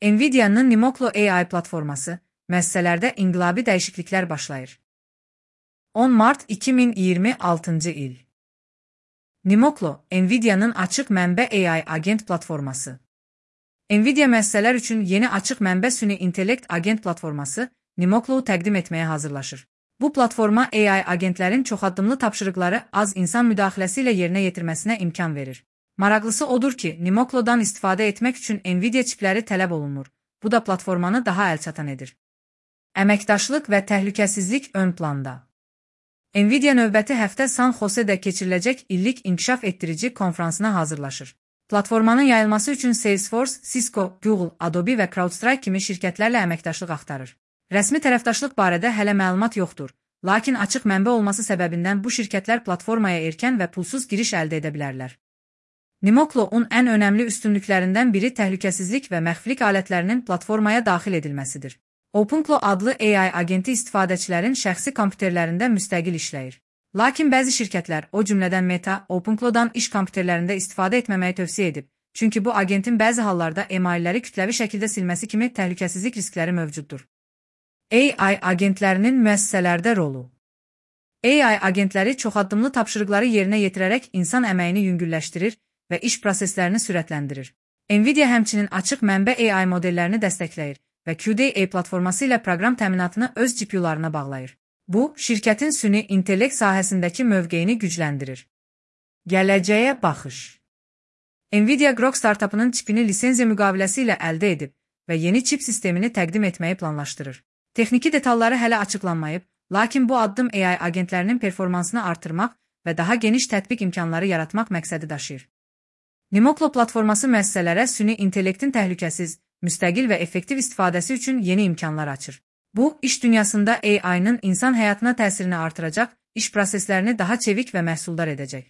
Nvidia'nın Nimoklo AI platforması, müəssisələrdə inqilabi dəyişikliklər başlayır. 10 mart 2026 il. Nimoklo, Nvidia'nın açıq mənbə AI agent platforması. Nvidia müəssisələr üçün yeni açıq mənbə süni intellekt agent platforması, Nimoklo-u təqdim etməyə hazırlaşır. Bu platforma AI agentlərin çoxaddımlı tapşırıqları az insan müdaxiləsi ilə yerinə yetirməsinə imkan verir. Maraqlısı odur ki, Nimoklo-dan istifadə etmək üçün Nvidia çipləri tələb olunmur. Bu da platformanı daha əlçatan edir. Əməkdaşlıq və təhlükəsizlik ön planda. Nvidia növbəti həftə San Jose'də keçiriləcək illik inkişaf etdirici konfransına hazırlaşır. Platformanın yayılması üçün Salesforce, Cisco, Google, Adobe və CrowdStrike kimi şirkətlərlə əməkdaşlıq axtarır. Rəsmi tərəfdaşlıq barədə hələ məlumat yoxdur, lakin açıq mənbə olması səbəbindən bu şirkətlər platformaya erkən və pulsuz giriş əldə edə bilərlər. Nimoklo-un ən önəmli üstünlüklərindən biri təhlükəsizlik və məxfilik alətlərinin platformaya daxil edilməsidir. OpenClaw adlı AI agenti istifadəçilərin şəxsi kompüterlərində müstəqil işləyir. Lakin bəzi şirkətlər, o cümlədən Meta, OpenClaw-dan iş kompüterlərində istifadə etməməyi tövsiyə edib, çünki bu agentin bəzi hallarda emailləri kütləvi şəkildə silməsi kimi təhlükəsizlik riskləri mövcuddur. AI agentlərinin müəssisələrdə rolu. AI agentləri çoxaddımlı tapşırıqları yerinə yetirərək insan əməyini yüngülləşdirir və iş proseslərini sürətləndirir. Nvidia həmçinin açıq mənbə AI modellərini dəstəkləyir və QDA platforması ilə proqram təminatını öz GPU-larına bağlayır. Bu, şirkətin süni intellekt sahəsindəki mövqeyini gücləndirir. Gələcəyə baxış. Nvidia Grok startapının çipini lisenziya müqaviləsi ilə əldə edib və yeni çip sistemini təqdim etməyi planlaşdırır. Texniki detalları hələ açıqlanmayıb, lakin bu addım AI agentlərinin performansını artırmaq və daha geniş tətbiq imkanları yaratmaq məqsədi daşıyır. Nimoklo platforması müəssisələrə süni intellektin təhlükəsiz, müstəqil və effektiv istifadəsi üçün yeni imkanlar açır. Bu, iş dünyasında AI-nın insan həyatına təsirini artıracaq, iş proseslərini daha çevik və məhsuldar edəcək.